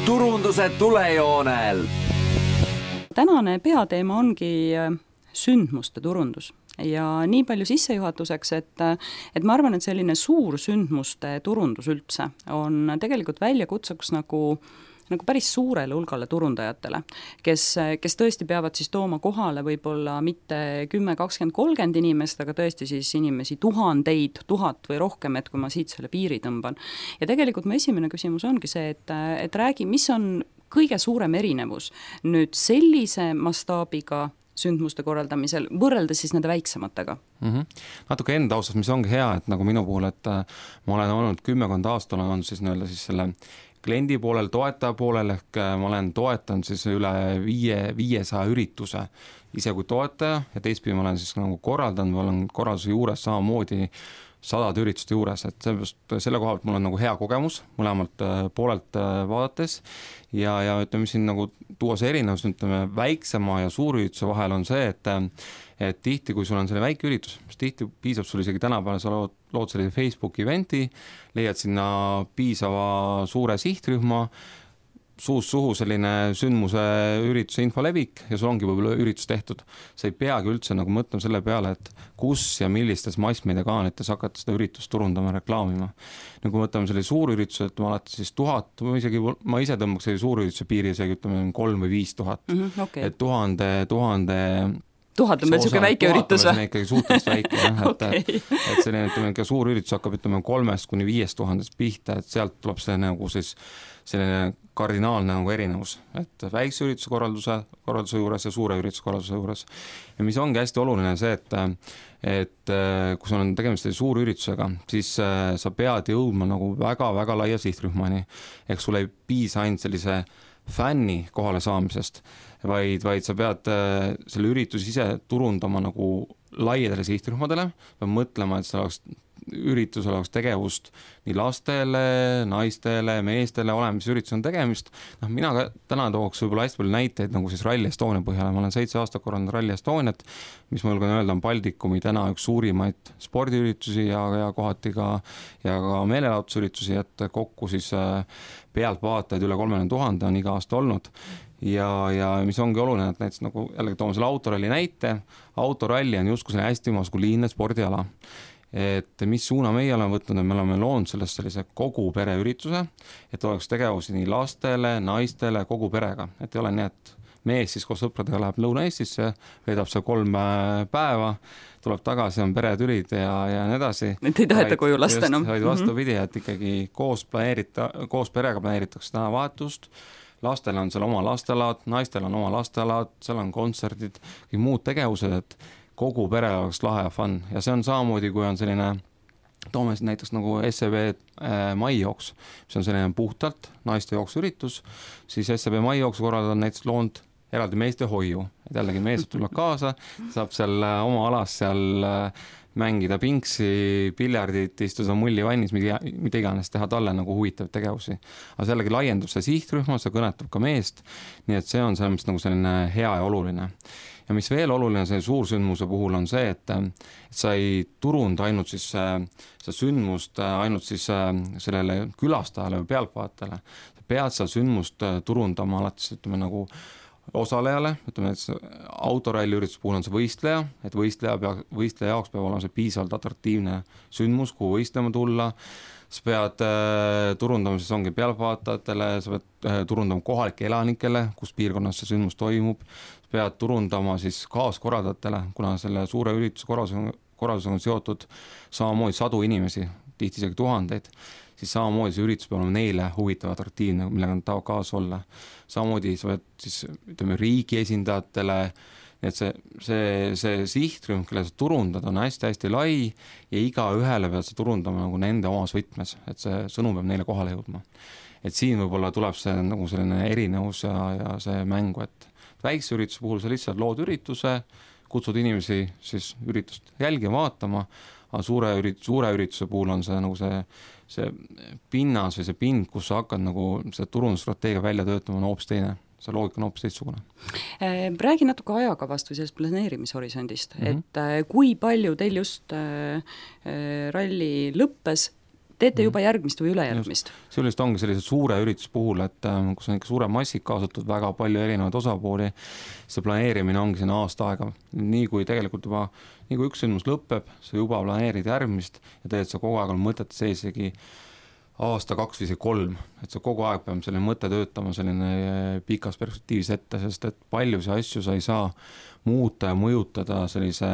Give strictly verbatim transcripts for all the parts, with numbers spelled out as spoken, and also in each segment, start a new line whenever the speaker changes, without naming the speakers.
turunduse tulejoonel.
Tänane peateema ongi sündmuste turundus ja nii palju sissejuhatuseks, et, et ma arvan, et selline suur sündmuste turundus üldse on tegelikult väljakutseks nagu nagu päris suurele hulgale turundajatele, kes, kes tõesti peavad siis tooma kohale võib-olla mitte kümme, kakskümmend, kolmkümmend inimest, aga tõesti siis inimesi tuhandeid, tuhat või rohkem, et kui ma siit selle piiri tõmban. Ja tegelikult mu esimene küsimus ongi see, et, et räägi, mis on kõige suurem erinevus nüüd sellise mastaabiga sündmuste korraldamisel, võrreldes siis nende väiksematega?
Mm-hmm. Natuke enda osas, mis ongi hea, et nagu minu puhul, et ma olen olnud kümmekond aastal, on siis nii-öelda siis selle kliendi poolel, toetaja poolel, ehk ma olen toetanud siis üle viie, viiesaja ürituse ise kui toetaja ja teistpidi ma olen siis nagu korraldanud, ma olen korralduse juures samamoodi sadade ürituste juures, et sellepärast selle koha pealt mul on nagu hea kogemus mõlemalt poolelt vaadates ja, ja ütleme siin nagu tuua see erinevus, ütleme väiksema ja suurürituse vahel on see, et et tihti, kui sul on selle väike üritus, mis tihti piisab sul isegi tänapäeval, sa lood, lood selle Facebooki eventi, leiad sinna piisava suure sihtrühma, suus suhu selline sündmuse ürituse info levik ja sul ongi võib-olla üritus tehtud. Sa ei peagi üldse nagu mõtlema selle peale, et kus ja millistes massmeediakaanites hakata seda üritust turundama ja reklaamima. Nagu mõtleme selle suurürituse, et ma alati siis tuhat, ma, isegi, ma ise tõmbaks selle suurürituse piiri, isegi ütleme kolm või viis tuhat.
Mm-hmm, okay.
Et tuhande, tuhande
tuhat on meil selline väike üritus.
Tuhat on ikkagi suhteliselt väike, jah, et, okay. et, et selline ütleme, suur üritus hakkab ütleme kolmest kuni viiest tuhandest pihta, et sealt tuleb see nagu siis selline kardinaalne nagu erinevus, et väikse ürituse korralduse, korralduse juures ja suure ürituse korralduse juures. Ja mis ongi hästi oluline see, et, et kui sul on tegemist suur üritusega, siis sa pead jõudma nagu väga-väga laia sihtrühmani, ehk sul ei piisa ainult sellise fänni kohale saamisest, vaid, vaid sa pead selle ürituse ise turundama nagu laiadele sihtrühmadele, pead mõtlema, et see oleks üritusel oleks tegevust nii lastele, naistele, meestele, oleme, mis üritus on tegemist. No, mina ka täna tooks võib-olla hästi palju näiteid nagu siis Rally Estonia põhjale. Ma olen seitse aastat korraldanud Rally Estoniat, mis ma julgen öelda on Baltikumi täna üks suurimaid spordiüritusi ja, ja kohati ka, ja ka meelelahutusüritusi, et kokku siis pealtvaatajaid üle kolmekümne tuhande on iga aasta olnud. Ja, ja mis ongi oluline, et näiteks nagu jällegi toome selle autoralli näite, autoralli on justkui hästi maskuliinne spordiala. Et mis suuna meie oleme võtnud, me oleme loonud sellest sellise kogu pereürituse, et oleks tegevusi nii lastele, naistele, kogu perega, et ei ole nii, et mees siis koos sõpradega läheb Lõuna-Eestisse, veedab seal kolm päeva, tuleb tagasi, on peretülid ja, ja nii edasi.
Need ei taheta koju lasta enam.
Vaid vastupidi, et ikkagi koos, planeerita, koos perega planeeritakse täna vahetust, lastel on seal oma lastelaad, naistel on oma lastelaad, seal on kontserdid, muud tegevused, et kogu pere oleks lahe ja fun ja see on samamoodi, kui on selline, toome näiteks nagu S E B äh, maijooks, mis on selline puhtalt naiste jooksuüritus, siis S E B maijooksu korraldada on näiteks loond eraldi meeste hoiu, et jällegi mees tuleb kaasa, saab seal äh, oma alas seal äh, mängida pingsi, piljardit, istuda mullivannis, mida, mida iganes teha talle nagu huvitav tegevusi. Aga jällegi laiendub see sihtrühma, see kõnetab ka meest, nii et see on selles nagu selline hea ja oluline. Ja mis veel oluline see suursündmuse puhul on see, et, et sa ei turunda ainult siis see sündmust ainult siis sellele külastajale või pealtvaatajale. Sa pead seal sündmust turundama alati ütleme nagu osalejale, ütleme, et autoralli ürituse puhul on see võistleja, et võistleja, pea, võistleja jaoks peab olema see piisavalt atraktiivne sündmus, kuhu võistlema tulla. Sa pead äh, turundama, siis ongi pealtvaatajatele, sa pead äh, turundama kohalike elanikele, kus piirkonnas see sündmus toimub. Sa pead turundama siis kaaskorraldajatele, kuna selle suure ürituse korraldusega, korraldusega on seotud samamoodi sadu inimesi, tihti isegi tuhandeid, siis samamoodi see üritus peab olema neile huvitav, atraktiivne, millega nad tahavad kaasa olla. Samamoodi sa pead siis, ütleme, riigi esindajatele, nii et see, see, see sihtrühm, kelle sa turundad, on hästi-hästi lai ja iga ühele pead sa turundama nagu nende omas võtmes, et see sõnum peab neile kohale jõudma. Et siin võib-olla tuleb see nagu selline erinevus ja, ja see mängu, et väikse ürituse puhul sa lihtsalt lood ürituse, kutsud inimesi siis üritust jälgi vaatama, aga suure, ürit, suure ürituse puhul on see nagu see, see pinnas või see pind, kus sa hakkad nagu see turundusstrateegia välja töötama, on hoopis teine. See loogika on hoopis teistsugune.
Räägi natuke ajakavast või sellest planeerimishorisondist, mm-hmm. et kui palju teil just ralli lõppes, teete juba järgmist või ülejärgmist.
See ülest ongi sellise suure ürituse puhul, et kus on ikka suure massid kaasatud, väga palju erinevaid osapooli, see planeerimine ongi siin aasta aega. Nii kui tegelikult juba, nii kui üks sündmus lõpeb, sa juba planeerid järgmist ja teed sa kogu aeg on mõtet seisegi aasta kaks või see kolm, et sa kogu aeg peab selline mõte töötama selline pikas perspektiivis ette, sest et palju see asju sa ei saa muuta ja mõjutada sellise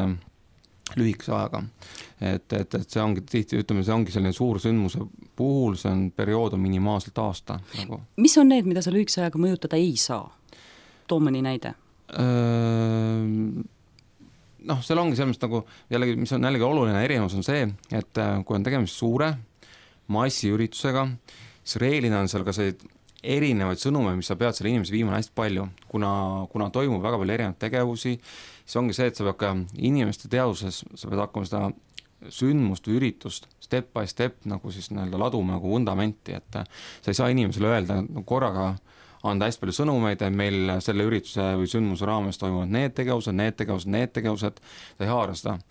lühikese ajaga. Et, et, et see ongi tihti, ütleme, see ongi selline suur sündmuse puhul, see on periood on minimaalselt aasta. Nagu.
Mis on need, mida sa lühikese ajaga mõjutada ei saa? Too mõni näide.
Öö, noh, seal ongi selles nagu, jällegi, mis on jällegi oluline erinevus on see, et kui on tegemist suure massiüritusega, siis reeglina on seal ka see erinevaid sõnume, mis sa pead selle inimese viima hästi palju, kuna, kuna toimub väga palju erinevaid tegevusi, siis ongi see, et sa pead ka inimeste teaduses, sa pead hakkama seda sündmust või üritust step by step nagu siis nii-öelda laduma nagu vundamenti, et sa ei saa inimesele öelda korraga anda hästi palju sõnumeid, et meil selle ürituse või sündmuse raames toimuvad need tegevused, need tegevused, need tegevused, sa ei haara seda.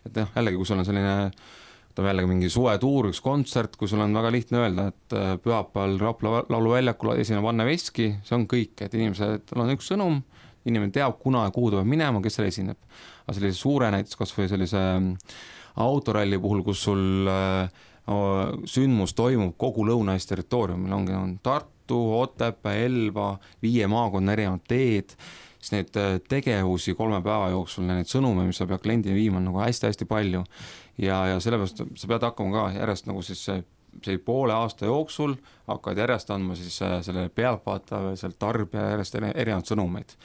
Et jah, jällegi, kui sul on selline jällegi mingi suvetuur, üks kontsert, kui sul on väga lihtne öelda, et pühapäeval Rapla lauluväljakul esineb Anne Veski, see on kõik, et inimesed, on üks sõnum, inimene teab, kuna ja kuhu ta peab minema, kes seal esineb. Aga sellise suure näiteks kas või sellise autoralli puhul, kus sul sündmus toimub kogu Lõuna-Eesti territooriumil, ongi on Tartu, Otepää, Elva, viie maakonna erinevad teed, siis neid tegevusi kolme päeva jooksul, neid sõnume, mis sa pead kliendini viima, on nagu hästi-hästi palju. Ja, ja sellepärast sa pead hakkama ka järjest nagu siis see, see poole aasta jooksul hakkad järjest andma siis selle pealtvaata või seal tarbija järjest erinevad sõnumeid.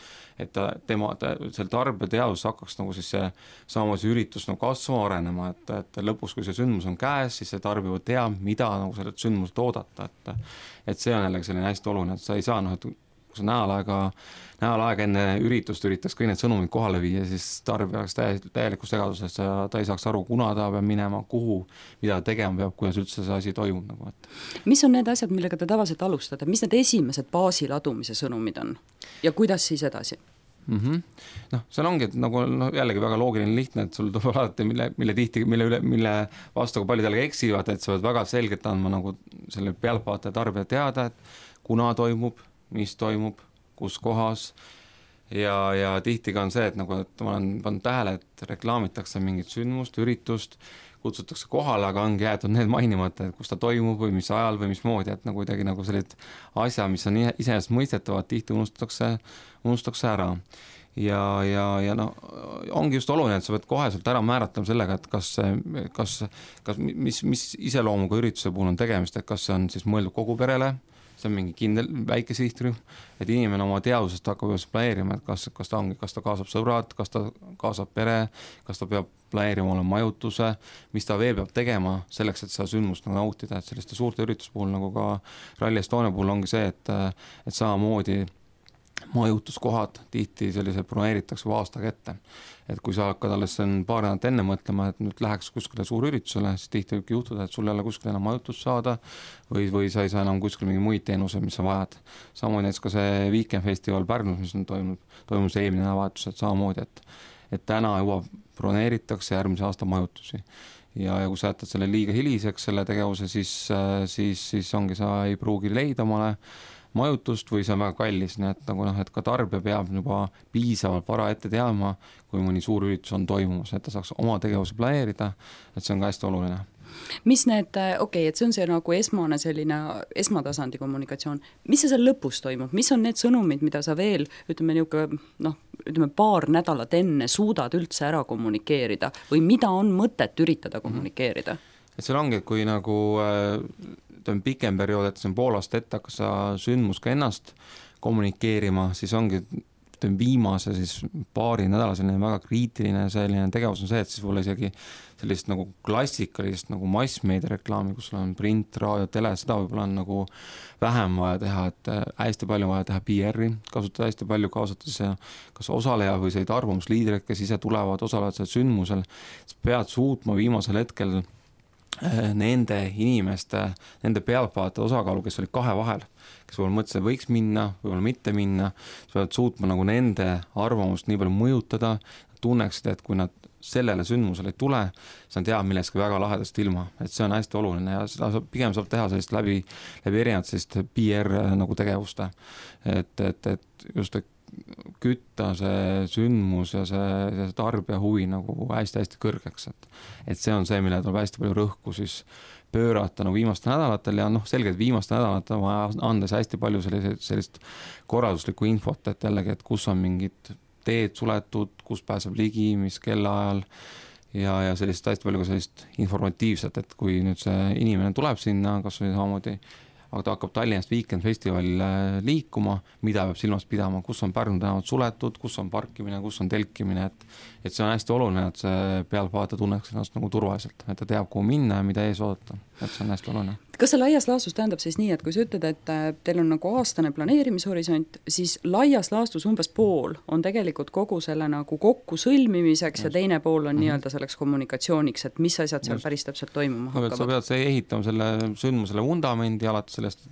Et tema, seal tarbija teadus hakkaks nagu siis see samamoodi üritus nagu kasvama arenema, et, et lõpus, kui see sündmus on käes, siis see tarbija teab, mida nagu sellelt sündmust oodata. Et, et see on jällegi selline hästi oluline, et sa ei saa, noh, et kui sa nädal aega, nädal aega enne üritust üritaks kõik need sõnumid kohale viia, siis tarbija oleks täielikus segaduses, ta ei saaks aru, kuna ta peab minema, kuhu, mida tegema peab, kuidas üldse see asi toimub. Nagu, et.
Mis on need asjad, millega te tavaliselt alustate? Mis need esimesed baasi ladumise sõnumid on? Ja kuidas siis edasi?
Mm-hmm. noh, seal ongi, et nagu no, jällegi väga loogiline lihtne, et sul tuleb alati, mille, mille tihti, mille, üle, mille vastu palju jällegi eksivad, et sa pead väga selgelt andma nagu selle pealtvaate tarbija teada, et kuna toimub, mis toimub, kus kohas ja, ja tihti ka on see, et nagu, et ma olen pannud tähele, et reklaamitakse mingit sündmust, üritust, kutsutakse kohale, aga ongi jäetud need mainimata, et kus ta toimub või mis ajal või mismoodi, et nagu kuidagi nagu sellised asja, mis on iseenesest mõistetavad, tihti unustatakse, unustatakse ära. Ja, ja, ja no, ongi just oluline, et sa pead koheselt ära määratlema sellega, et kas, kas, kas mis, mis iseloomuga ürituse puhul on tegemist, et kas see on siis mõeldud kogu perele, see on mingi kindel väike sihtrühm, et inimene oma teadusest hakkab planeerima, et kas, kas ta ongi, kas ta kaasab sõbrad, kas ta kaasab pere, kas ta peab planeerima olla majutuse, mis ta veel peab tegema selleks, et seda sündmust nagu nautida, et selliste suurte üritus puhul nagu ka Rally Estonia puhul ongi see, et, et samamoodi majutuskohad tihti sellised broneeritakse või aastaga ette. Et kui sa hakkad alles paar nädalat enne mõtlema, et nüüd läheks kuskile suur üritusele, siis tihti võibki juhtuda, et sul ei ole kuskil enam majutust saada või, või sa ei saa enam kuskil mingi muid teenuse, mis sa vajad. Samamoodi näiteks ka see Weekend Festival Pärnus, mis on toimunud, toimus eelmine nädalavahetus, et samamoodi, et, et täna juba broneeritakse järgmise aasta majutusi. Ja, ja kui sa jätad selle liiga hiliseks, selle tegevuse, siis, siis, siis ongi, sa ei pruugi leida omale majutust või see on väga kallis, nii et, nagu noh, et ka tarbija peab juba piisavalt vara ette teadma, kui mõni suur üritus on toimumas, et ta saaks oma tegevuse planeerida, et see on ka hästi oluline.
Mis need, okei, okay, et see on see nagu esmane selline esmatasandi kommunikatsioon, mis see seal lõpus toimub, mis on need sõnumid, mida sa veel, ütleme niuke, noh, ütleme paar nädalat enne suudad üldse ära kommunikeerida või mida on mõtet üritada kommunikeerida?
Et seal ongi, et kui nagu on pikem periood, et see on pool aasta ette, hakkas sa sündmus ka ennast kommunikeerima, siis ongi viimase siis paari nädala selline väga kriitiline selline tegevus on see, et siis võib-olla isegi sellist nagu klassikalist nagu massmeedia reklaami, kus on print, raadio, tele, seda võib-olla on nagu vähem vaja teha, et hästi palju vaja teha P R-i, kasutada hästi palju kaasatades kas osaleja või sellised arvamusliidrid, kes ise tulevad, osalevad seal sündmusel, pead suutma viimasel hetkel nende inimeste, nende pealtvaate osakaalu, kes olid kahe vahel, kes võib-olla mõtlesid, et võiks minna, võib-olla mitte minna, sa pead suutma nagu nende arvamust nii palju mõjutada, tunneksid, et kui nad sellele sündmusele ei tule, siis on teab millestki väga lahedast ilma, et see on hästi oluline ja seda saab, pigem saab teha sellist läbi, läbi erinevad sellist P R nagu tegevuste, et, et, et just et kütta see sündmus ja see, see tarbija huvi nagu hästi-hästi kõrgeks, et, et see on see, mille tuleb hästi palju rõhku siis pöörata nagu viimastel nädalatel ja noh, selgelt viimastel nädalatel vaja andes hästi palju sellist, sellist korralduslikku infot, et jällegi, et kus on mingid teed suletud, kus pääseb ligi, mis kellaajal ja, ja sellist hästi palju ka sellist informatiivset, et kui nüüd see inimene tuleb sinna, kas või samamoodi aga ta hakkab Tallinnast Weekend Festivalil liikuma, mida peab silmas pidama, kus on Pärnu tänavad suletud, kus on parkimine, kus on telkimine, et, et see on hästi oluline, et see pealtvaataja tunneks ennast nagu turvaliselt, et ta teab, kuhu minna ja mida ees oodata, et see on hästi oluline.
Kas see laias laastus tähendab siis nii, et kui sa ütled, et teil on nagu aastane planeerimishorisont, siis laias laastus umbes pool on tegelikult kogu selle nagu kokku sõlmimiseks just. Ja teine pool on mm-hmm. nii-öelda selleks kommunikatsiooniks, et mis asjad seal just. Päris täpselt toimuma hakkavad. Sa
pead see ehitama selle sündmusele vundamendi alates sellest,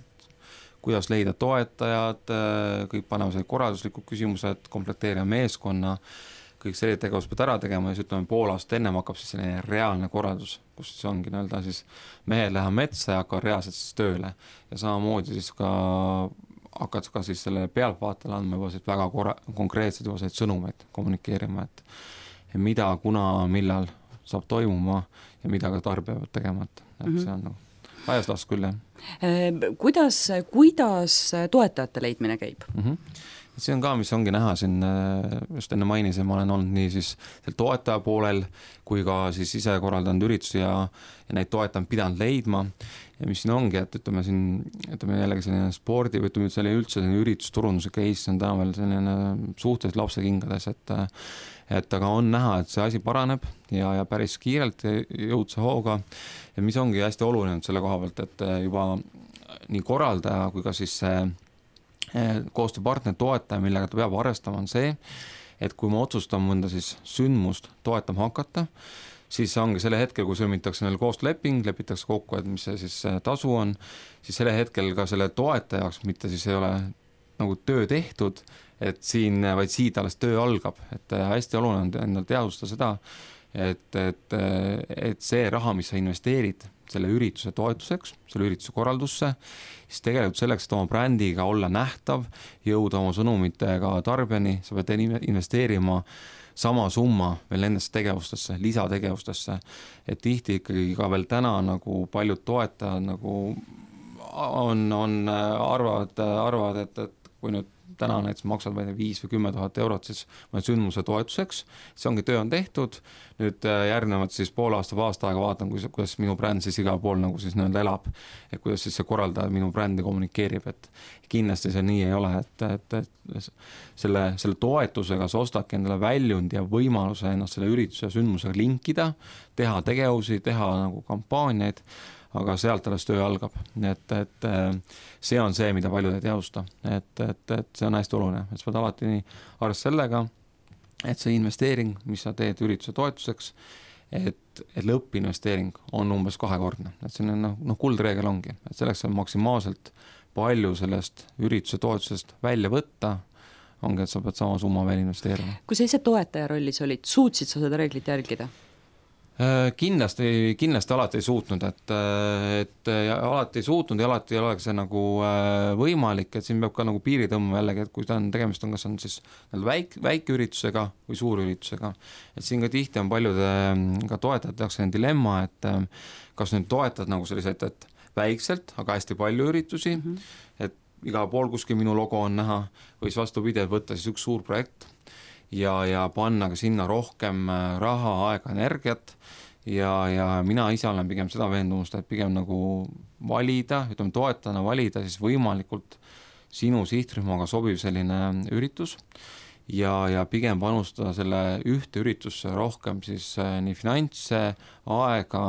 kuidas leida toetajad, kõik panema selle korralduslikud küsimused, komplekteerima meeskonna, kõik selline tegevus pead ära tegema ja siis ütleme pool aastat ennem hakkab siis selline reaalne korraldus, kus siis ongi nii-öelda siis mehed lähevad metsa ja hakkavad reaalselt siis tööle ja samamoodi siis ka hakkad ka siis selle pealtvaatajale andma juba siis väga korra- konkreetsed juba sellised sõnumeid kommunikeerima, et mida, kuna, millal saab toimuma ja mida ka tarbija peab tegema, et, et mm-hmm. see on nagu ajas las küll, jah.
Kuidas, kuidas toetajate leidmine käib?
Mm-hmm. See on ka, mis ongi näha siin, just enne mainisin, ma olen olnud nii siis toetaja poolel, kui ka siis ise korraldanud üritusi ja, ja neid toetajad pidanud leidma. Ja mis siin ongi, et ütleme siin, ütleme jällegi selline spordi, või ütleme selline üldse selline üritusturunduse case on täna veel selline suhteliselt lapsekingades, et, et aga on näha, et see asi paraneb ja, ja päris kiirelt jõudse hooga. Ja mis ongi hästi oluline selle koha pealt, et juba nii korraldaja kui ka siis see koostööpartner toetaja, millega ta peab arvestama, on see, et kui ma otsustan mõnda siis sündmust toetama hakata, siis ongi selle hetkel, kui sõlmitakse neil koostööleping, lepitakse kokku, et mis see siis tasu on, siis selle hetkel ka selle toetajaks mitte siis ei ole nagu töö tehtud, et siin, vaid siit alles töö algab, et hästi oluline on endal teadvustada seda, et, et, et see raha, mis sa investeerid selle ürituse toetuseks, selle ürituse korraldusse, siis tegelikult selleks, et oma brändiga olla nähtav, jõuda oma sõnumitega tarbijani, sa pead investeerima sama summa veel nendesse tegevustesse, lisategevustesse, et tihti ikkagi ka veel täna nagu paljud toetajad nagu on, on arvavad, arvavad, et, et kui nüüd täna näiteks maksad viis või kümme tuhat eurot siis sündmuse toetuseks, see ongi töö on tehtud, nüüd järgnevad siis pool aasta või aasta aega vaatan, kuidas minu bränd siis igal pool nagu siis nii-öelda elab, et kuidas siis see korraldaja minu brändi kommunikeerib, et kindlasti see nii ei ole, et, et, et selle, selle toetusega sa ostadki endale väljund ja võimaluse ennast selle ürituse ja sündmusega linkida, teha tegevusi, teha nagu kampaaniaid, aga sealt alles töö algab, et, et see on see, mida paljud ei teadvusta, et, et, et see on hästi oluline, et sa pead alati nii arvestada sellega, et see investeering, mis sa teed ürituse toetuseks, et, et lõppinvesteering on umbes kahekordne, et see on noh, no, kuldreegel ongi, et selleks on maksimaalselt palju sellest ürituse toetusest välja võtta, ongi, et sa pead sama summa veel investeerima.
Kui sa ise toetaja rollis olid, suutsid sa seda reeglit jälgida?
Kindlasti, kindlasti alati ei suutnud, et, et alati ei suutnud ja alati ei oleks see nagu võimalik, et siin peab ka nagu piiri tõmbama jällegi, et kui ta on tegemist on, kas on siis väik, väike üritusega või suur üritusega, et siin ka tihti on paljude ka toetajad tehakse dilemma, et kas nüüd toetad nagu selliseid, et väikselt, aga hästi palju üritusi, mm-hmm. et igal pool kuskil minu logo on näha või siis vastupidi, et võtta siis üks suur projekt ja, ja panna ka sinna rohkem raha, aega, energiat ja, ja mina ise olen pigem seda veendumust, et pigem nagu valida, ütleme toetajana valida siis võimalikult sinu sihtrühmaga sobiv selline üritus ja, ja pigem panustada selle ühte üritusse rohkem siis nii finantse, aega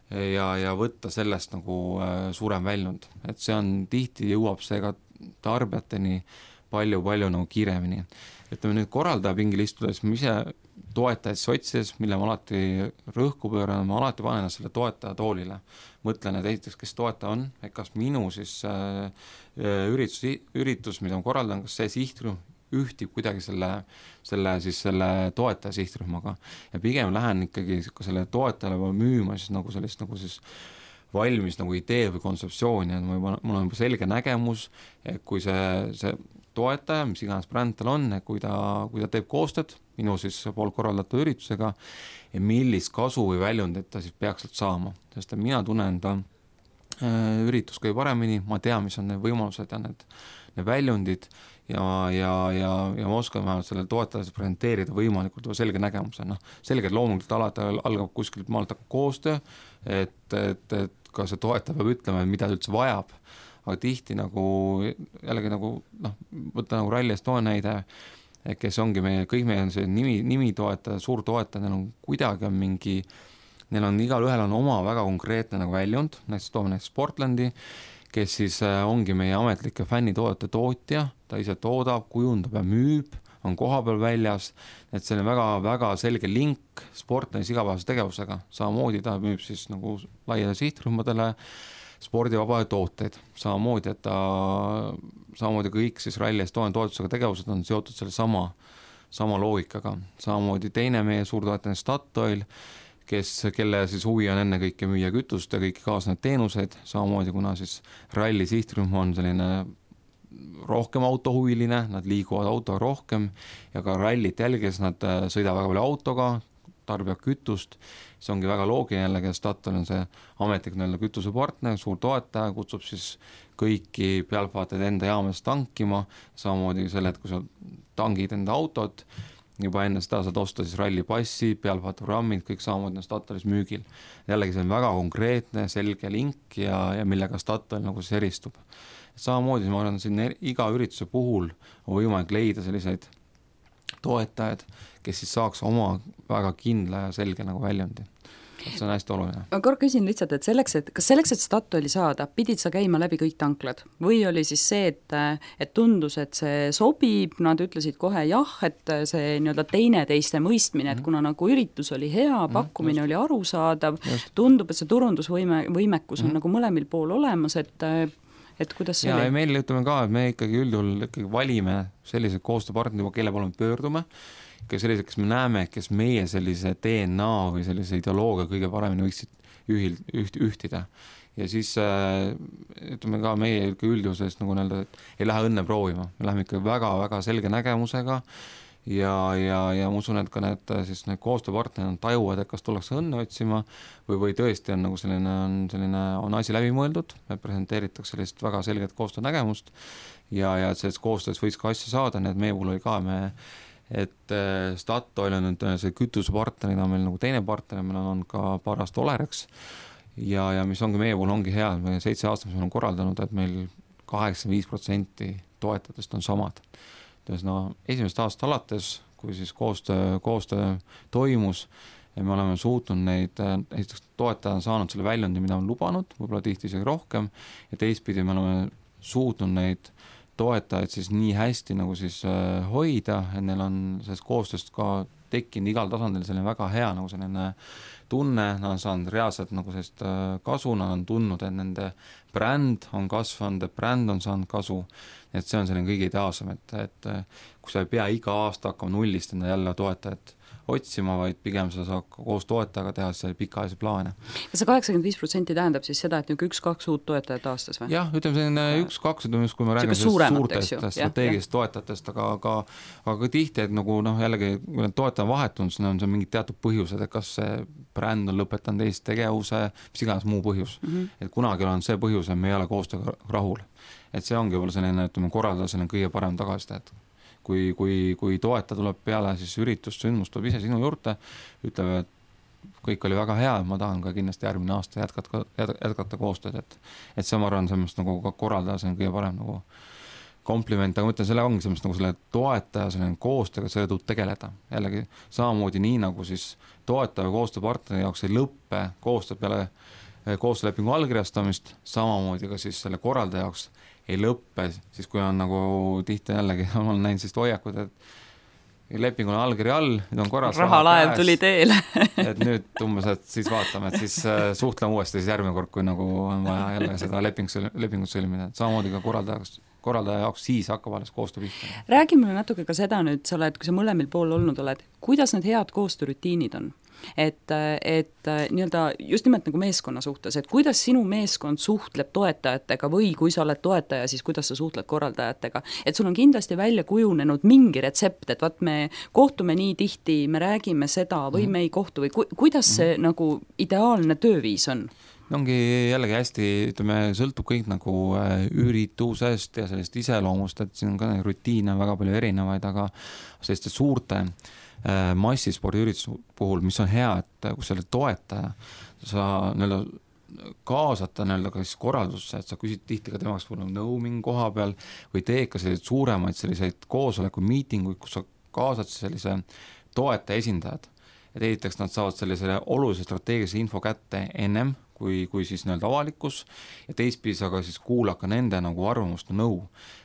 ja, ja võtta sellest nagu suurem väljund, et see on tihti jõuab see ka tarbijateni palju-palju nagu kiiremini. Ütleme nüüd korraldaja pingil istudes, ma ise toetajaid sotsides, mille ma alati rõhku pööran, ma alati panen selle toetaja toolile. Mõtlen, et esiteks, kes toetaja on, et kas minu siis äh, üritus, üritus, mida ma korraldan, kas see sihtrühm ühtib kuidagi selle, selle, siis selle toetaja sihtrühmaga ja pigem lähen ikkagi ka selle toetajale müüma siis nagu sellist nagu siis valmis nagu idee või kontseptsiooni, et mul on juba selge nägemus, et kui see, see toetaja, mis iganes bränd tal on, kui ta, kui ta teeb koostööd minu siis poolt korraldatud üritusega ja millist kasu või väljundit ta siis peaks sealt saama, sest mina tunnen ta äh, üritus kõige paremini, ma tean, mis on need võimalused ja need, need väljundid ja, ja, ja, ja ma oskan vähemalt sellele toetajale presenteerida võimalikult või selge nägemuse, noh, selgelt loomulikult alati algab kuskilt maalt hakkab koostöö, et, et, et ka see toetaja peab ütlema, mida ta üldse vajab, aga tihti nagu jällegi nagu noh, võtta nagu Rally Estonia näide, kes ongi meie, kõik meie on see nimi, nimi toetaja, suur toetaja, neil on kuidagi on mingi, neil on igal ühel on oma väga konkreetne nagu väljund, näiteks toome näiteks Sportlandi, kes siis ongi meie ametlike fännitoodete tootja, ta ise toodab, kujundab ja müüb, on koha peal väljas, et see on väga, väga selge link Sportlandis igapäevase tegevusega, samamoodi ta müüb siis nagu laiale sihtrühmadele spordivabade tooteid, samamoodi, et ta, samamoodi kõik siis Rally Estonia toetusega tegevused on seotud selle sama, sama loogikaga, samamoodi teine meie suurtoetaja Statoil, kes, kelle siis huvi on enne kõike müüa kütust ja kõiki kaasnevad teenuseid, samamoodi kuna siis Rally sihtrühm on selline rohkem autohuviline, nad liiguvad autoga rohkem ja ka rallit jälgides nad sõidavad väga palju autoga, tarbivad kütust, see ongi väga loogiline jällegi, et Statoil on see ametlik näile kütusepartner, suur toetaja, kutsub siis kõiki pealtvaatajaid enda jaamas tankima, samamoodi selle, et kui sa tangid enda autot, juba enne seda saad osta siis rallipassi, pealtvaataprogrammid, kõik samamoodi on Statoilis müügil. Jällegi see on väga konkreetne, selge link ja, ja millega Statoil nagu siis eristub. Samamoodi ma arvan, siin iga ürituse puhul on võimalik leida selliseid toetajad, kes siis saaks oma väga kindla ja selge nagu väljundi. Et see on hästi oluline.
Ma korra küsin lihtsalt, et selleks, et kas selleks, et Statoili saada, pidid sa käima läbi kõik tanklad? Või oli siis see, et, et tundus, et see sobib, nad ütlesid kohe jah, et see nii-öelda teine teiste mõistmine, et kuna nagu üritus oli hea, pakkumine mm, oli arusaadav, just. Tundub, et see turundusvõime, võimekus on mm. nagu mõlemil pool olemas, et et kuidas see
ja,
oli?
Ja meil ütleme ka, et me ikkagi üldjuhul ikkagi valime sellised koostööpartnerid, kelle poole me pöördume, kes sellised, kes me näeme, kes meie sellise D N A või sellise ideoloogia kõige paremini võiksid ühil, üht, ühtida. Ja siis ütleme ka meie üldjuhusest nagu näelda, et ei lähe õnne proovima. Me läheme ikka väga-väga selge nägemusega ja, ja, ja ma usun, et ka need, siis need koostööpartnerid tajuvad, et kas tullakse õnne otsima või, või tõesti on nagu selline, on, selline, on asi läbi mõeldud, et presenteeritakse sellist väga selget koostöönägemust ja, ja et sellest koostöös võiks ka asja saada, nii et meie puhul oli ka me et Statoil on nüüd see kütusepartnerina meil nagu teine partner, meil on ka parast Olerex ja, ja mis ongi meie puhul ongi hea, et me seitse aastat me oleme korraldanud, et meil kaheksakümmend viis protsenti toetajatest on samad. No, esimest aastat alates, kui siis koostöö, koostöö toimus ja me oleme suutnud neid, esiteks toetaja on saanud selle väljundi, mida on lubanud, võib-olla tihti isegi rohkem ja teistpidi me oleme suutnud neid toetajaid siis nii hästi nagu siis äh, hoida, et neil on sellest koostööst ka tekkinud igal tasandil selline väga hea nagu selline tunne, nad on saanud reaalselt nagu sellist äh, kasu, nad on tundnud, et nende bränd on kasvanud, et bränd on saanud kasu, et see on selline kõige ideaalsem, et, et kui sa ei pea iga aasta hakkama nullist enda jälle toetajat otsima, vaid pigem sa saad koos toetajaga teha see pikaajalise plaane.
Ja see kaheksakümmend viis protsenti tähendab siis seda, et üks-kaks uut toetajat aastas või?
Jah, ütleme selline üks-kaks, kui me räägime suurtest strateegilist toetajatest, aga, aga, aga tihti, et nagu noh, jällegi, kui need toetaja vahetunud, siis on see mingid teatud põhjused, et kas see bränd on lõpetanud Eesti tegevuse, mis iganes muu põhjus. Mm -hmm. Et kunagi on see põhjus, et me ei ole koostööga rahul. Et see ongi võib-olla selline, ütleme, korraldada selline kõige parem tagasiside, et kui, kui, kui toetaja tuleb peale siis üritust, sündmust tuleb ise sinu juurde, ütleb, et kõik oli väga hea, ma tahan ka kindlasti järgmine aasta jätkata, jätkata koostööd, et, et see ma arvan, sellest nagu ka korraldada, see on kõige parem nagu kompliment, aga ma ütlen, selle ongi sellest nagu selle toetaja selline koostööga, selle tuleb tegeleda. Jällegi samamoodi nii nagu siis toetaja koostööpartneri jaoks ei lõppe koostöö peale koostöölepingu allkirjastamist, samamoodi ka siis selle korraldaja jaoks ei lõppe, siis kui on nagu tihti jällegi, ma olen näinud sellist hoiakud, et leping on allkiri all, nüüd on korras
rahalaev raha tuli teele
et nüüd umbes, et siis vaatame, et siis suhtleme uuesti siis järgmine kord, kui nagu on vaja jälle seda leping, lepingut sõlmida, et samamoodi ka korraldajaks korraldaja jaoks siis hakkab alles koostöö pihta.
Räägi mulle natuke ka seda nüüd, sa oled, kui sa mõlemil pool olnud oled, kuidas need head koostöörutiinid on? Et, et nii-öelda just nimelt nagu meeskonna suhtes, et kuidas sinu meeskond suhtleb toetajatega või kui sa oled toetaja, siis kuidas sa suhtled korraldajatega, et sul on kindlasti välja kujunenud mingi retsept, et vaat me kohtume nii tihti, me räägime seda või me ei kohtu või ku, kuidas see mm. nagu ideaalne tööviis on?
Ongi jällegi hästi, ütleme, sõltub kõik nagu üritusest ja sellist iseloomust, et siin on ka rutiine väga palju erinevaid, aga selliste suurte massispordiürituse puhul, mis on hea, et kui sa oled toetaja, sa nii-öelda kaasata nii-öelda ka siis korraldusse, et sa küsid tihti ka temaks nõu mingi koha peal või teed ka selliseid suuremaid selliseid koosoleku miitinguid, kus sa kaasad sellise toetaja esindajad. Et esiteks nad saavad sellisele olulise strateegilise info kätte ennem, kui, kui siis nii-öelda avalikkus ja teistpidi sa ka siis kuulad ka nende nagu arvamust ja nõu.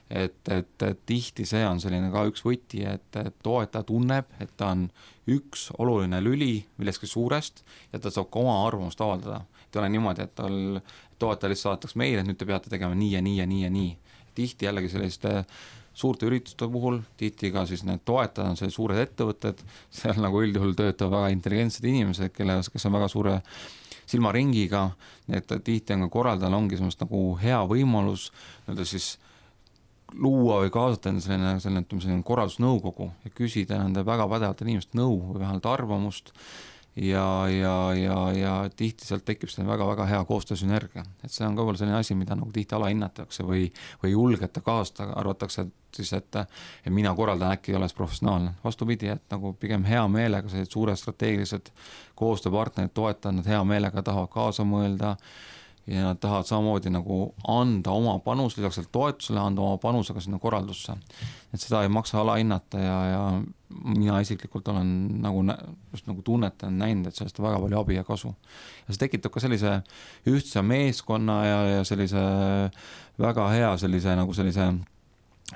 Et, et, et tihti see on selline ka üks võti, et, et toetaja tunneb, et ta on üks oluline lüli millestki suurest ja ta saab ka oma arvamust avaldada. Et ei ole niimoodi, et tal toetaja lihtsalt saadetaks meile, et nüüd te peate tegema nii ja nii ja nii ja nii. Tihti jällegi selliste suurte ürituste puhul, tihti ka siis need toetajad on sellised suured ettevõtted, seal nagu üldjuhul töötavad väga intelligentsed inimesed, kelle, kes on väga suure silmaringiga, et tihti on ka korraldajal ongi semmoist nagu hea võimalus nii-öelda siis luua või kaasata enda selline, selline, selline korraldusnõukogu ja küsida nende väga pädevalt inimest nõu või vähemalt arvamust ja, ja, ja, ja tihti sealt tekib selline väga-väga hea koostöösünergia. Et see on ka veel selline asi, mida nagu tihti alahinnatakse või, või julgeta kaasata, arvatakse et siis, et, et mina korraldan äkki ei ole professionaalne. Vastupidi, et nagu pigem hea meelega sellised suured strateegilised koostööpartnerid toetavad, nad hea meelega tahavad kaasa mõelda ja nad tahavad samamoodi nagu anda oma panus, lisaks seal toetusele anda oma panusega sinna korraldusse. Et seda ei maksa alahinnata ja, ja mina isiklikult olen nagu, just nagu tunnetan näinud, et sellest on väga palju abi ja kasu. Ja see tekitab ka sellise ühtse meeskonna ja, ja sellise väga hea sellise nagu sellise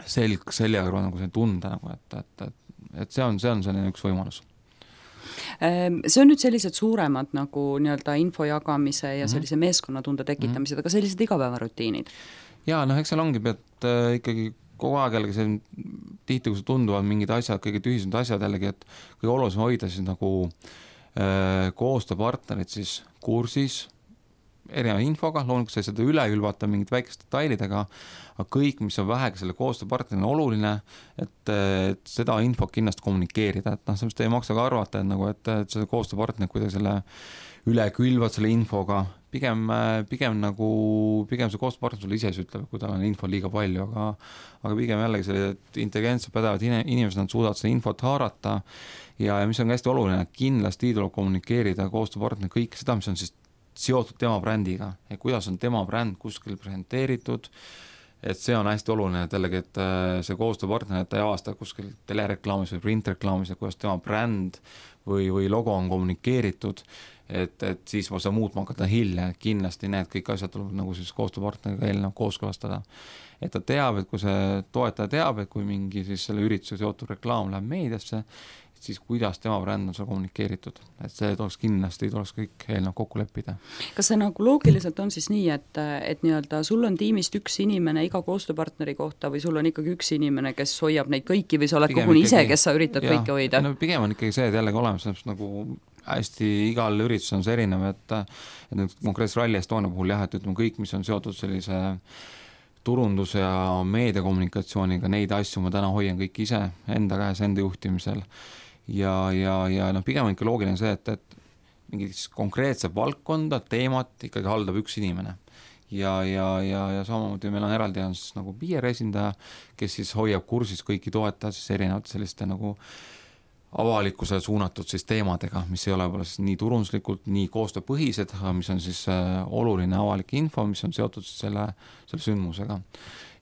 selg seljaga nagu see tunde, nagu, et, et, et, et see on, see on selline üks võimalus.
See on nüüd sellised suuremad nagu nii-öelda info jagamise ja sellise meeskonnatunde tekitamised, aga sellised igapäevarutiinid? Jaa,
noh, eks seal ongi, et äh, ikkagi kogu aeg jällegi see tihti, kui see tunduvad mingid asjad, kõige tühised asjad jällegi, et kõige olulisem hoida siis nagu äh, koostööpartnerid siis kursis erineva infoga, loomulikult sai seda üle ülvata mingid väikest detailidega, aga kõik, mis on vähegi selle koostööpartnerina oluline, et, et seda infot kindlasti kommunikeerida, et noh, sellest ei maksa ka arvata, et, nagu, et, et see koostööpartner kuidagi selle üle külvad selle infoga, pigem, pigem nagu, pigem see koostööpartner sulle ise ütleb, kui tal on info liiga palju, aga, aga pigem jällegi sellised intelligentsed pädevad inimesed, nad suudavad seda infot haarata ja, ja mis on hästi oluline, kindlasti tuleb kommunikeerida koostööpartner kõik seda, mis on siis seotud tema brändiga ja kuidas on tema bränd kuskil presenteeritud, et see on hästi oluline, et jällegi, et see koostööpartner, et ta ei avasta kuskil telereklaamis või printreklaamis, et kuidas tema bränd või, või logo on kommunikeeritud, et, et siis ma saan muutma hakata hilja, kindlasti need kõik asjad tuleb nagu siis koostööpartneriga eelnev kooskõlastada. Et ta teab, et kui see toetaja teab, et kui mingi siis selle ürituse seotud reklaam läheb meediasse, siis kuidas tema bränd on seal kommunikeeritud. Et see tuleks kindlasti, tuleks kõik eelnev kokku leppida.
Kas see nagu loogiliselt on siis nii, et, et nii-öelda sul on tiimist üks inimene iga koostööpartneri kohta või sul on ikkagi üks inimene, kes hoiab neid kõiki või sa oled koguni ise, kes sa üritad ja, kõike hoida?
No, pigem on ikkagi see, et jällegi olemas nagu hästi igal üritusel on see erinev, et, et nüüd konkreetses Rally Estonia puhul jah, et ütleme kõik, mis on seotud sellise turunduse ja meediakommunikatsiooniga, neid asju ma täna hoian kõik ise enda käes, enda juhtimisel. Ja, ja, ja noh, pigem on ikka loogiline see, et, et mingid konkreetset valdkonda, teemat ikkagi haldab üks inimene. Ja, ja, ja, ja samamoodi meil on eraldi on siis nagu P R esindaja, kes siis hoiab kursis kõiki toetajad siis erinevate selliste nagu avalikkusele suunatud siis teemadega, mis ei ole võib-olla siis nii turunduslikult, nii koostööpõhised, mis on siis oluline avalik info, mis on seotud siis selle, selle sündmusega.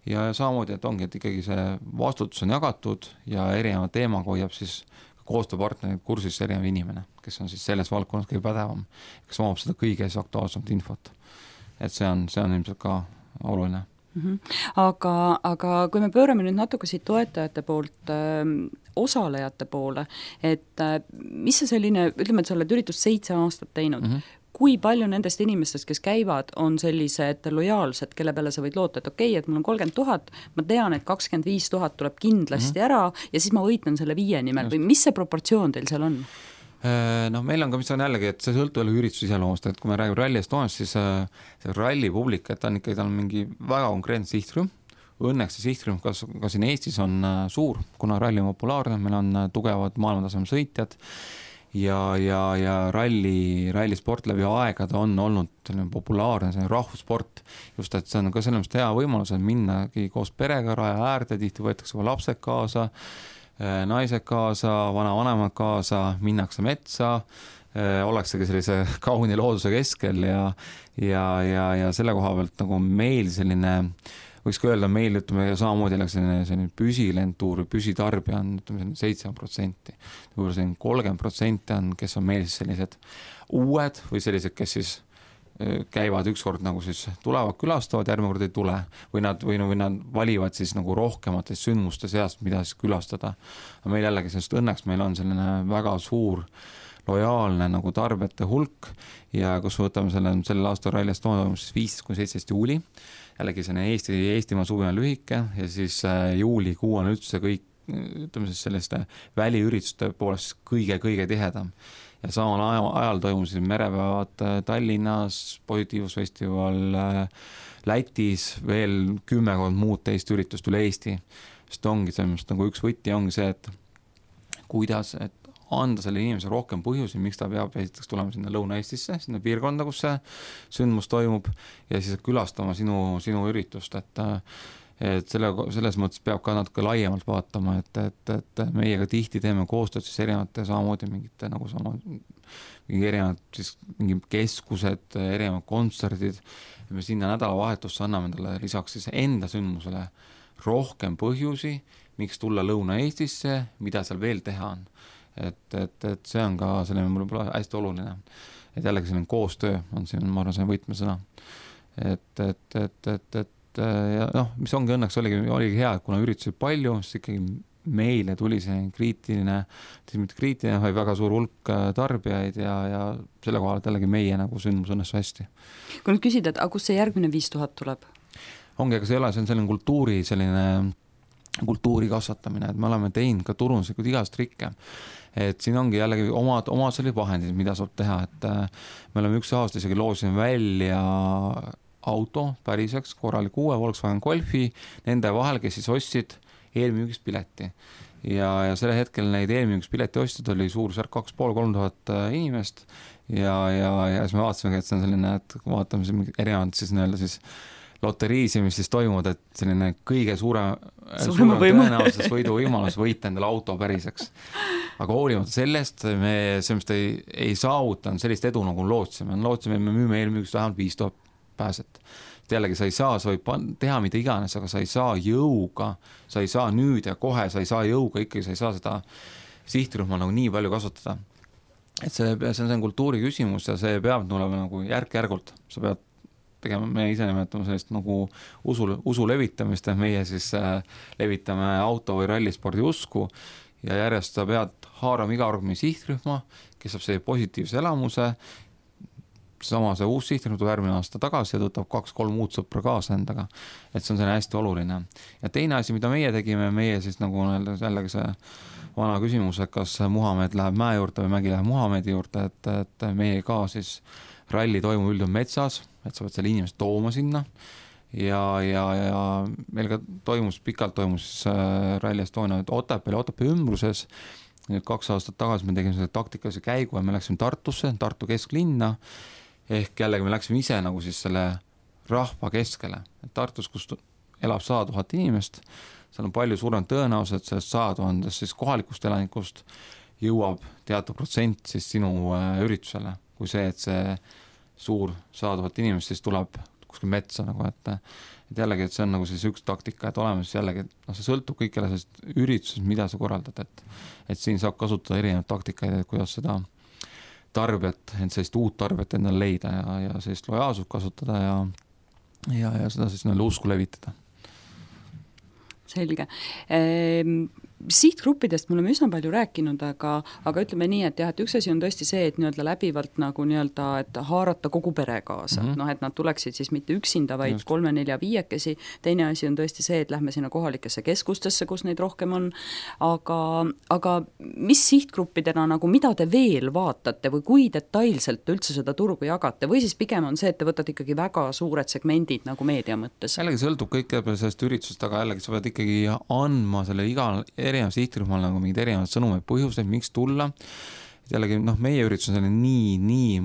Ja samamoodi, et ongi, et ikkagi see vastutus on jagatud ja erineva teemaga hoiab siis koostööpartnerid kursis erinev inimene, kes on siis selles valdkonnas kõige pädevam, kes omab seda kõige aktuaalsemat infot. Et see on, see on ilmselt ka oluline.
Mm-hmm. Aga, aga kui me pöörame nüüd natuke siit toetajate poolt öö, osalejate poole, et öö, mis see selline, ütleme, et sa oled üritust seitse aastat teinud, mm-hmm. kui palju nendest inimestest, kes käivad, on sellised lojaalsed, kelle peale sa võid loota, et okei okay,, et mul on kolmkümmend tuhat, ma tean, et kakskümmend viis tuhat tuleb kindlasti mm-hmm. ära ja siis ma võitlen selle viie nimel Just. Või mis see proportsioon teil seal on?
No meil on ka, mis on jällegi, et see sõltub jälle ürituse iseloomust, et kui me räägime Rally Estoniast, siis see ralli publik, et ta on ikkagi, ta on mingi väga konkreetne sihtrühm. Õnneks see sihtrühm ka, ka siin Eestis on suur, kuna ralli on populaarne, meil on tugevad maailmataseme sõitjad ja, ja, ja ralli, rallisport läbi aegade on olnud populaarne, see on rahvussport, just et see on ka selles mõttes hea võimalus, et minnagi koos perega raja äärde, tihti võetakse ka lapsed kaasa, naised kaasa, vanavanemad kaasa, minnakse metsa, oleksegi sellise kauni looduse keskel ja, ja, ja, ja selle koha pealt nagu meil selline võiks ka öelda, meil ütleme samamoodi selline, selline püsilentuur või püsitarbija on ütleme seitsekümmend protsenti. Võib-olla selline kolmkümmend protsenti on, kes on meil siis sellised uued või sellised, kes siis käivad ükskord nagu siis tulevad, külastavad, järgmine kord ei tule või nad, või, või nad valivad siis nagu rohkematest sündmuste seast, mida siis külastada. Aga meil jällegi, sest õnneks meil on selline väga suur lojaalne nagu tarbijate hulk ja kus võtame selle, selle aasta Rally Estonia toimus siis viisteist kuni seitseteist juuli. Jällegi selline Eesti, Eestimaa suvi on lühike ja siis juulikuu on üldse kõik, ütleme siis selliste väliürituste poolest kõige-kõige tihedam. Ja samal ajal, ajal toimusid merepäevad Tallinnas, Positiivsusfestival Lätis, veel kümmekond muud teist üritust üle Eesti. Sest ongi sellest nagu üks võti ongi see, et kuidas, et anda selle inimese rohkem põhjusi, miks ta peab esiteks tulema sinna Lõuna-Eestisse, sinna piirkonda, kus see sündmus toimub ja siis külastama sinu, sinu üritust, et, et selle, selles mõttes peab ka natuke laiemalt vaatama, et, et, et meiega tihti teeme koostööd siis erinevate samamoodi mingite nagu sama, mingi erinevad siis mingi keskused, erinevad kontserdid ja me sinna nädalavahetusse anname endale lisaks siis enda sündmusele rohkem põhjusi, miks tulla Lõuna-Eestisse, mida seal veel teha on. Et, et, et see on ka selline mulle hästi oluline, et jällegi selline koostöö on siin, ma arvan, see võtmesõna. Et, et, et, et, et ja noh, mis ongi õnneks oligi, oligi hea, et kuna üritusi palju, siis ikkagi meile tuli see kriitiline, mitte kriitiline, vaid väga suur hulk tarbijaid ja, ja selle kohal, et jällegi meie nagu sündmus õnnestu hästi.
Kui nüüd küsida, et aga kus see järgmine viis tuhat tuleb?
Ongi, aga see ei ole, see on selline kultuuri, selline kultuuri kasvatamine, et me oleme teinud ka turunduslikud igast trikke. Et siin ongi jällegi omad, omad sellised vahendid, mida saab teha, et me oleme üks aasta isegi loosime välja auto päriseks, korralik uue Volkswagen Golfi, nende vahel, kes siis ostsid eelmüügist pileti. Ja, ja selle hetkel neid eelmüügist pileti ostjad oli suurusjärk kaks pool kolm tuhat inimest ja, ja, ja siis me vaatasime, et see on selline, et vaatame siin erinevad siis nii-öelda siis loteriisi, mis siis toimuvad, et selline kõige suurem, suurem tõenäosus võidu võimalus võita endale auto päriseks. Aga hoolimata sellest me sellest ei, ei saavutanud sellist edu, nagu lootsime. Lootsime, et me müüme eelmüügist vähemalt viis tuhat pääset. Jällegi sa ei saa, sa võid teha mida iganes, aga sa ei saa jõuga, sa ei saa nüüd ja kohe, sa ei saa jõuga, ikkagi sa ei saa seda sihtrühma nagu nii palju kasutada. Et see, see on kultuuri küsimus ja see peab tulema nagu järk-järgult. Sa pead tegema, me ise nimetame sellist nagu usu, usu levitamist, et meie siis äh, levitame auto või rallispordi usku ja järjest sa pead haarama iga organi sihtrühma, kes saab see positiivse elamuse, sama see uus sihtrühm tuleb järgmine aasta tagasi ja tõtab kaks-kolm muud sõpra kaasa endaga, et see on selline hästi oluline. Ja teine asi, mida meie tegime, meie siis nagu jällegi see vana küsimus, et kas Muhamed läheb mäe juurde või mägi läheb Muhamedi juurde, et, et meie ka siis ralli toimub üldjuhul metsas, et sa pead selle inimest tooma sinna ja, ja, ja meil ka toimus, pikalt toimus Rally Estonia Otepääl ja Otepää ümbruses. Nüüd kaks aastat tagasi me tegime selle taktikalise käigu ja me läksime Tartusse, Tartu kesklinna, ehk jällegi me läksime ise nagu siis selle rahva keskele. Tartus, kus elab sada tuhat inimest, seal on palju suurem tõenäosus, et sellest sada tuhandest siis kohalikust elanikust jõuab teatud protsent siis sinu üritusele, kui see, et see suur sada tuhat inimest siis tuleb kuskil metsa nagu, et, et jällegi, et see on nagu siis üks taktika, et oleme siis jällegi, no see sõltub kõikjale sellest üritusest, mida sa korraldad, et, et siin saab kasutada erinevaid taktikaid, et kuidas seda tarbijat, et sellist uut tarbijat endale leida ja, ja sellist lojaalsust kasutada ja, ja, ja seda siis neile usku levitada.
Selge. Ehm, sihtgruppidest me oleme üsna palju rääkinud, aga, aga ütleme nii, et jah, et üks asi on tõesti see, et nii-öelda läbivalt nagu nii-öelda, et haarata kogu pere kaasa, mm -hmm. noh, et nad tuleksid siis mitte üksinda, vaid Just. kolme, nelja, viiekesi, teine asi on tõesti see, et lähme sinna kohalikesse keskustesse, kus neid rohkem on, aga, aga mis sihtgruppidena nagu, mida te veel vaatate või kui detailselt üldse seda turgu jagate või siis pigem on see, et te võtate ikkagi väga suured segmendid nagu meedia mõttes?
Jällegi sõltub kõik sellest üritusest, aga jällegi sa pead ikkagi andma selle igal erinev sihtrühmal nagu mingid erinevad sõnumid, põhjuseid, miks tulla. Jällegi, noh, meie üritus on selline nii, nii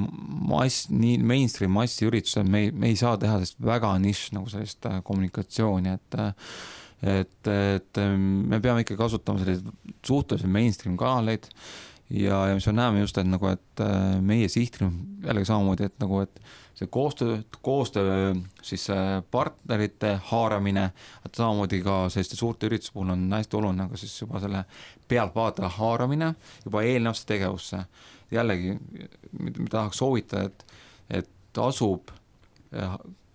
mass, nii mainstream massi üritus, et me, me ei saa teha sellist väga nišš nagu sellist kommunikatsiooni, et et, et me peame ikka kasutama selliseid suhteliselt mainstream kanaleid ja, ja mis me näeme just, et nagu, et meie sihtrühm jällegi samamoodi, et nagu, et see koostöö, koostöö siis partnerite haaramine, et samamoodi ka selliste suurte ürituse puhul on hästi oluline, aga siis juba selle pealtvaataja haaramine juba eelnevasse tegevusse. Jällegi, mida tahaks soovita, et, et asub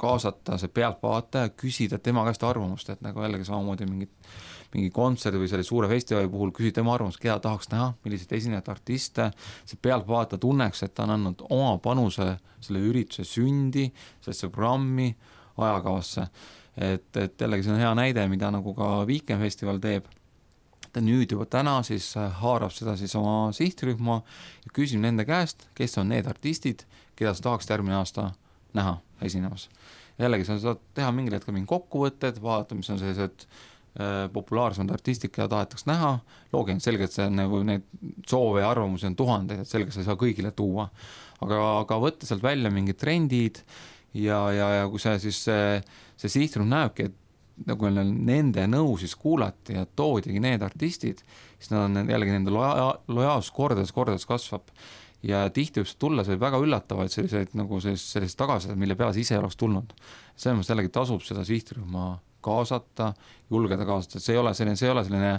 kaasata see pealtvaataja, küsida tema käest arvamust, et nagu jällegi samamoodi mingit mingi kontserdi või selle suure festivali puhul küsida tema arvamust, keda tahaks näha, milliseid esinejad artiste, see pealtvaataja tunneks, et ta on andnud oma panuse selle ürituse sündi, sellesse programmi, ajakavasse. Et, et jällegi see on hea näide, mida nagu ka Weekend Festival teeb. Ta nüüd juba täna siis haarab seda siis oma sihtrühma ja küsib nende käest, kes on need artistid, keda sa tahaks järgmine aasta näha esinemas. Jällegi sa saad teha mingil hetkel mingi kokkuvõtted, vaadata, mis on sellised populaarsemad artistid, keda tahetaks näha, loogiline selgelt see nagu neid soove ja arvamusi on tuhandeid, et selgelt sa ei saa kõigile tuua, aga, aga võtta sealt välja mingid trendid ja, ja, ja kui see siis see, see sihtrühm näebki, et nagu nende nõu siis kuulati ja toodigi need artistid, siis nad on jällegi nende loja, lojaalsus kordades, kordades kasvab ja tihti võib tulla see väga üllatavaid selliseid nagu sellised tagasised, mille peale see ise oleks tulnud. Selles mõttes jällegi tasub seda sihtrühma kaasata, julgeda kaasata, et see ei ole selline, see ei ole selline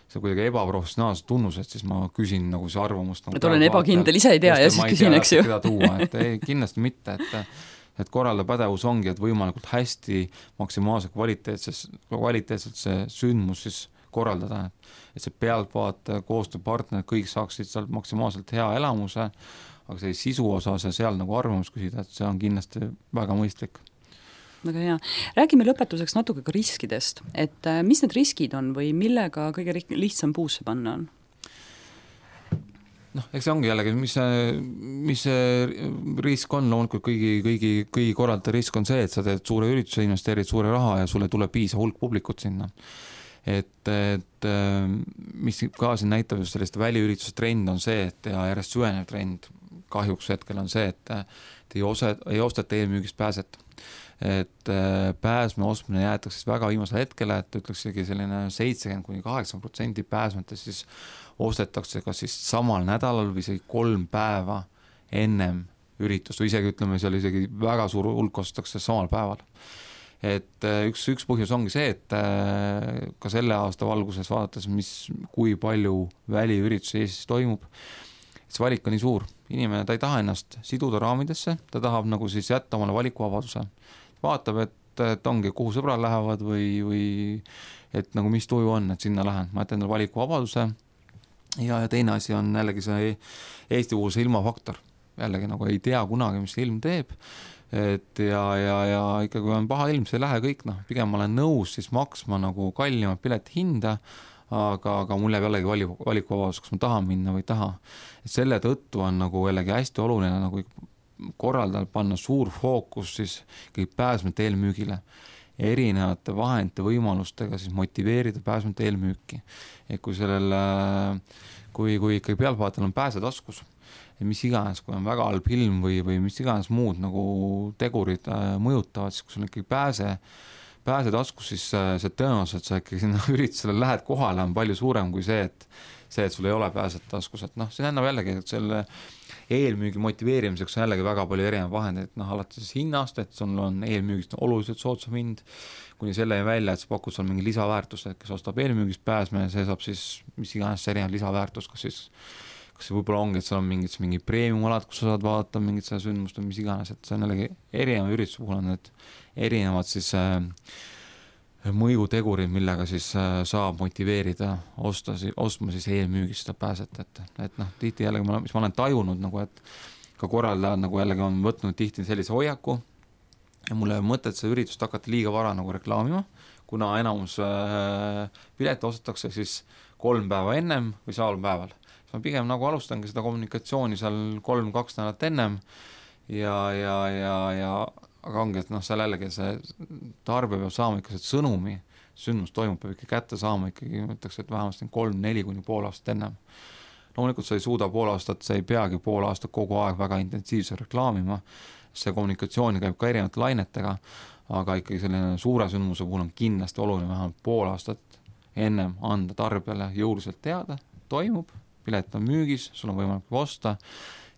see kuidagi ebaprofessionaalse tunnus, et siis ma küsin nagu see arvamust nagu
et olen ebakindel, ise ei tea ja siis küsin, eks ju.
Tuua, et ei, kindlasti mitte, et, et korralda pädevus ongi, et võimalikult hästi maksimaalse kvaliteetses, kvaliteetselt see sündmus siis korraldada, et see pealtvaataja, koostööpartner, kõik saaksid seal maksimaalselt hea elamuse, aga see sisu osas ja seal nagu arvamus küsida, et see on kindlasti väga mõistlik.
Väga hea. Räägime lõpetuseks natuke ka riskidest, et mis need riskid on või millega kõige lihtsam puusse panna on?
Noh, eks see ongi jällegi, mis see, mis see risk on, loomulikult kõigi, kõigi, kõigi korraldada risk on see, et sa teed suure ürituse, investeerid suure raha ja sulle tuleb piisa hulk publikut sinna. Et, et mis ka siin näitab just sellist väliürituse trend on see, et ja järjest süvenev trend kahjuks hetkel on see, et, et ei, ose, ei osteta eelmüügist pääset. Et pääsme ostmine jäetakse väga viimasel hetkele, et ütleksegi selline seitsekümmend kuni kaheksakümmend protsenti pääsmete siis ostetakse kas siis samal nädalal või isegi kolm päeva ennem üritust või isegi ütleme, seal isegi väga suur hulk ostetakse samal päeval. Et üks, üks põhjus ongi see, et ka selle aasta valguses vaadates, mis, kui palju väliüritusi Eestis toimub, see valik on nii suur. Inimene, ta ei taha ennast siduda raamidesse, ta tahab nagu siis jätta omale valikuvabaduse. Vaatab, et, et ongi, kuhu sõbrad lähevad või, või et nagu mis tuju on, et sinna lähen. Ma jätan endale valikuvabaduse ja, ja teine asi on jällegi see Eesti puhul see ilmafaktor. Jällegi nagu ei tea kunagi, mis ilm teeb. Et ja, ja, ja ikka kui on paha ilm, see ei lähe kõik, noh, pigem ma olen nõus siis maksma nagu kallimat pileti hinda, aga, aga mul jääb jällegi valik, valikuvabadus, kas ma tahan minna või ei taha. Et selle tõttu on nagu jällegi hästi oluline nagu korraldada, panna suur fookus siis kõik pääsmete eelmüügile, erinevate vahendite võimalustega siis motiveerida pääsmete eelmüüki. Et kui sellel, kui, kui ikkagi pealtvaatajal on pääse taskus, mis iganes, kui on väga halb ilm või, või mis iganes muud nagu tegurid mõjutavad, siis kui sul ikkagi pääse, pääse taskus, siis see tõenäoliselt, et sa ikkagi sinna üritusele lähed kohale, on palju suurem kui see, et see, et sul ei ole pääset taskus, et noh, see ennab jällegi, et selle eelmüügi motiveerimiseks on jällegi väga palju erinevaid vahendeid, noh, alati siis hinnast, et sul on eelmüügist oluliselt soodsam hind, kuni selle välja, et sa pakud seal mingi lisaväärtust, et kes ostab eelmüügist pääsme, see saab siis mis iganes erinev lisaväärtust, kas siis kas see võib-olla ongi, et seal on mingid, mingi premium-alad, kus sa saad vaadata mingit seda sündmust või mis iganes, et see on jällegi erineva ürituse puhul on need erinevad siis äh, mõjutegurid, millega siis saab motiveerida osta, ostma siis eelmüügist seda pääset, et, et noh, tihti jällegi, mis ma olen tajunud nagu, et ka korraldajad nagu jällegi on võtnud tihti sellise hoiaku ja mul ei ole mõtet seda üritust hakata liiga vara nagu reklaamima, kuna enamus äh, pileti ostetakse siis kolm päeva ennem või saal päeval. Siis ma pigem nagu alustangi seda kommunikatsiooni seal kolm, kaks nädalat ennem ja, ja, ja, ja aga ongi, et noh, seal jällegi see tarbija peab saama ikka see sõnumi, sündmus toimub, peab ikka kätte saama ikkagi, mõtleks, et vähemalt kolm, neli kuni pool aastat ennem. Loomulikult sa ei suuda pool aastat, sa ei peagi pool aastat kogu aeg väga intensiivselt reklaamima, see kommunikatsiooni käib ka erinevate lainetega, aga ikkagi selline suure sündmuse puhul on kindlasti oluline vähemalt pool aastat ennem anda tarbijale jõuliselt teada, toimub, pilet on müügis, sul on võimalik osta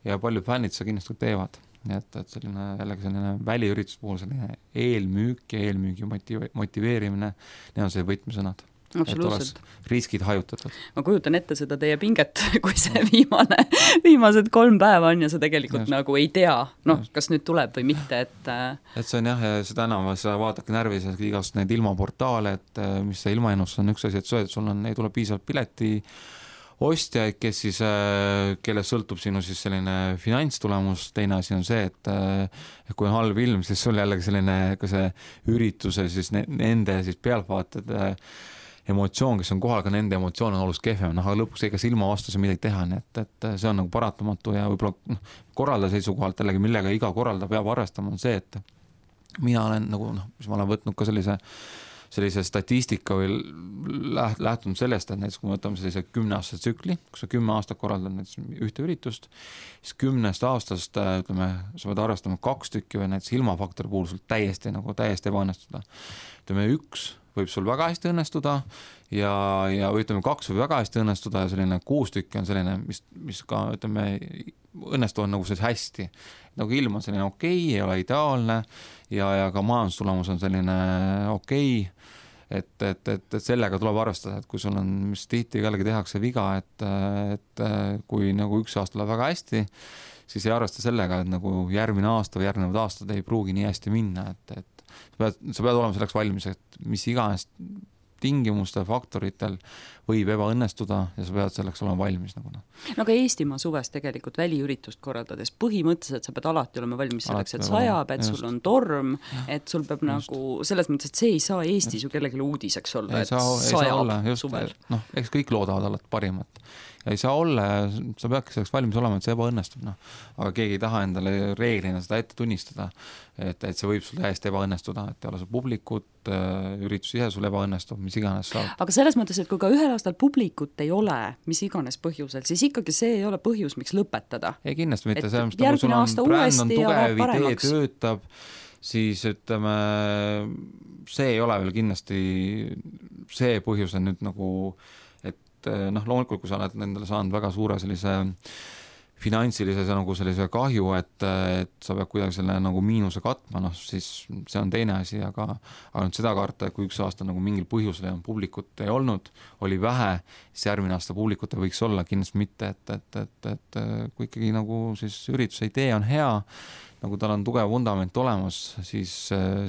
ja paljud fännid seda kindlasti teevad. Nii et, et selline, jällegi selline väliüritus puhul selline eelmüük ja eelmüügi motive, motiveerimine, need on see võtmesõnad. Et oleks riskid hajutatud.
Ma kujutan ette seda teie pinget, kui see viimane, viimased kolm päeva on ja sa tegelikult just nagu ei tea, noh, kas nüüd tuleb või mitte, et
et see on jah, seda enam, sa vaadake närvis igast neid ilmaportaale, et mis see ilmaennus on üks asi, et, et sul on, ei tule piisavalt pileti ostjaid, kes siis, kelle sõltub sinu siis selline finantstulemus, teine asi on see, et kui on halb ilm, siis sul jällegi selline ka see ürituse siis nende siis pealtvaated emotsioon, kes on kohal, ka nende emotsioon on oluliselt kehvem, noh, aga lõpuks ega ilma vastus midagi teha, nii et, et see on nagu paratamatu ja võib-olla noh, korraldaja seisukohalt jällegi, millega iga korraldaja peab arvestama, on see, et mina olen nagu, noh, mis ma olen võtnud ka sellise sellise statistika või läht, lähtunud sellest, et näiteks kui me võtame sellise kümneaastase tsükli, kus sa kümme aastat korraldad näiteks ühte üritust, siis kümnest aastast, ütleme, sa võid arvestama kaks tükki või näiteks ilmafaktori puhul sul täiesti, nagu täiesti ebaõnnestuda. Ütleme, üks võib sul väga hästi õnnestuda ja, ja ütleme, kaks võib väga hästi õnnestuda ja selline kuus tükki on selline, mis, mis ka, ütleme, õnnestuvad nagu siis hästi. Nagu ilm on selline okei, ei ole ideaalne ja, ja ka majandustulemus on selline okei, et, et, et, et sellega tuleb arvestada, et kui sul on, mis tihti jällegi tehakse viga, et, et kui nagu üks aasta läheb väga hästi, siis ei arvesta sellega, et nagu järgmine aasta või järgnevad aastad ei pruugi nii hästi minna, et, et sa pead, sa pead olema selleks valmis, et mis iganes tingimustel, faktoritel võib ebaõnnestuda ja sa pead selleks olema valmis. Nagu no.
no aga Eestimaa suves tegelikult väliüritust korraldades põhimõtteliselt sa pead alati olema valmis selleks, et sajab, et just sul on torm, et sul peab just nagu selles mõttes, et see ei saa Eestis just ju kellegi uudiseks olla,
ei
et
saa,
sajab
olla, just, suvel. Noh, eks kõik loodavad alati parimat. Ja ei saa olla, sa peadki selleks valmis olema, et see ebaõnnestub, noh. Aga keegi ei taha endale reeglina seda ette tunnistada, et, et see võib sul täiesti ebaõnnestuda, et ei ole sul publikut, üritus ise sul ebaõnnestub, mis iganes saab.
Aga selles mõttes, et kui ka ühel aastal publikut ei ole, mis iganes põhjusel, siis ikkagi see ei ole põhjus, miks lõpetada.
Ei kindlasti mitte, see, mis nagu sul on bränd on tugev, idee töötab, siis ütleme, see ei ole veel kindlasti see põhjus on nüüd nagu noh, loomulikult, kui sa oled nendele saanud väga suure sellise finantsilise nagu sellise kahju, et, et sa pead kuidagi selle nagu miinuse katma, noh, siis see on teine asi, aga, aga nüüd seda karta, et kui üks aasta nagu mingil põhjusel ja publikut ei olnud, oli vähe, siis järgmine aasta publikut ei võiks olla, kindlasti mitte, et, et, et, et kui ikkagi nagu siis ürituse idee on hea, nagu tal on tugev vundament olemas, siis,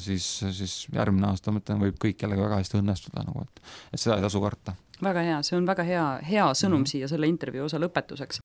siis, siis järgmine aasta mõtlen, võib kõik jällegi väga hästi õnnestuda, nagu, et, et seda ei tasu karta.
Väga hea, see on väga hea, hea sõnum mm-hmm. siia selle intervjuu osa lõpetuseks.